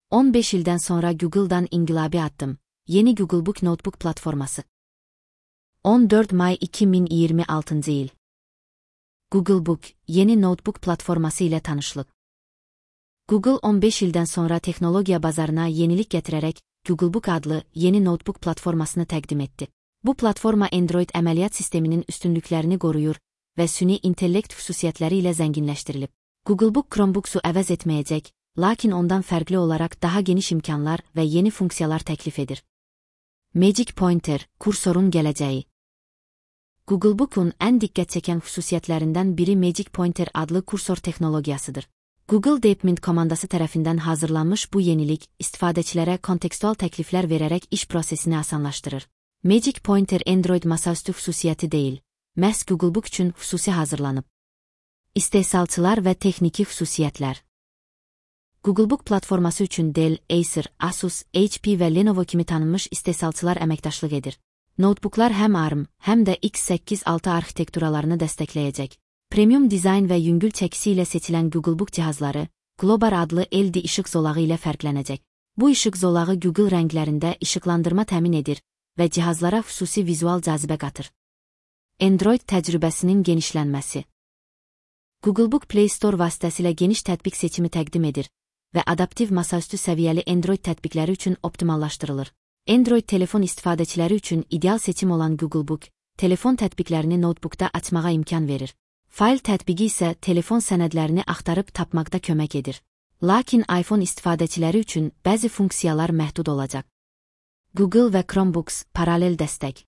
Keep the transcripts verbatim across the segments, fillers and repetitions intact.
on beş ildən sonra Google'dan inqilabi addım. Yeni Googlebook Notebook platforması. on dörd may iki min iyirmi altıncı il. Googlebook, yeni notebook platforması ilə tanışlıq. Google on beş ildən sonra texnologiya bazarına yenilik gətirərək Googlebook adlı yeni notebook platformasını təqdim etdi. Bu platforma Android əməliyyat sisteminin üstünlüklərini qoruyur və süni intellekt xüsusiyyətləri ilə zənginləşdirilib. Googlebook Chromebook'u əvəz etməyəcək, lakin ondan fərqli olaraq daha geniş imkanlar və yeni funksiyalar təklif edir. Magic Pointer, kursorun gələcəyi. Googlebook'un ən diqqət çəkən xüsusiyyətlərindən biri Magic Pointer adlı kursor texnologiyasıdır. Google Deepmind komandası tərəfindən hazırlanmış bu yenilik, istifadəçilərə kontekstual təkliflər verərək iş prosesini asanlaşdırır. Magic Pointer Android masaüstü xüsusiyyəti deyil, məhz Googlebook üçün xüsusi hazırlanıb. İstehsalçılar və texniki xüsusiyyətlər. Googlebook platforması üçün Dell, Acer, Asus, H P və Lenovo kimi tanınmış istehsalçılar əməkdaşlıq edir. Notebooklar həm ARM, həm də X səkkiz altı arxitekturalarını dəstəkləyəcək. Premium dizayn və yüngül çəkisi ilə seçilən Googlebook cihazları, Global adlı L E D işıq zolağı ilə fərqlənəcək. Bu işıq zolağı Google rənglərində işıqlandırma təmin edir və cihazlara xüsusi vizual cazibə qatır. Android təcrübəsinin genişlənməsi. Googlebook Play Store vasitəsilə geniş tətbiq seçimi təqdim edir və adaptiv masaüstü səviyyəli Android tətbiqləri üçün optimallaşdırılır. Android telefon istifadəçiləri üçün ideal seçim olan Googlebook, telefon tətbiqlərini notebookda açmağa imkan verir. Fayl tətbiqi isə telefon sənədlərini axtarıb tapmaqda kömək edir. Lakin iPhone istifadəçiləri üçün bəzi funksiyalar məhdud olacaq. Google və Chromebooks paralel dəstək.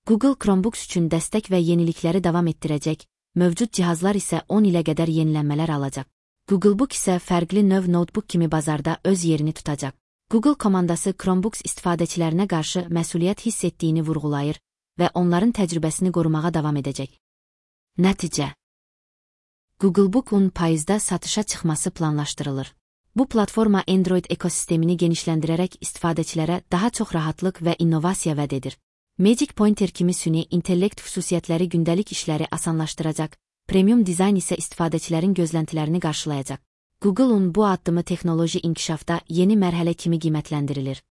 Google Chromebooks üçün dəstək və yenilikləri davam etdirəcək, mövcud cihazlar isə on ilə qədər yenilənmələr alacaq. Googlebook isə fərqli növ notebook kimi bazarda öz yerini tutacaq. Google komandası Chromebooks istifadəçilərinə qarşı məsuliyyət hiss etdiyini vurğulayır və onların təcrübəsini qorumağa davam edəcək. Nəticə. Googlebook'un payızda satışa çıxması planlaşdırılır. Bu platforma Android ekosistemini genişləndirərək istifadəçilərə daha çox rahatlıq və innovasiya vəd edir. Magic Pointer kimi süni intellekt xüsusiyyətləri gündəlik işləri asanlaşdıracaq, premium dizayn isə istifadəçilərin gözləntilərini qarşılayacaq. Google'un bu addımı texnoloji inkişafda yeni mərhələ kimi qiymətləndirilir.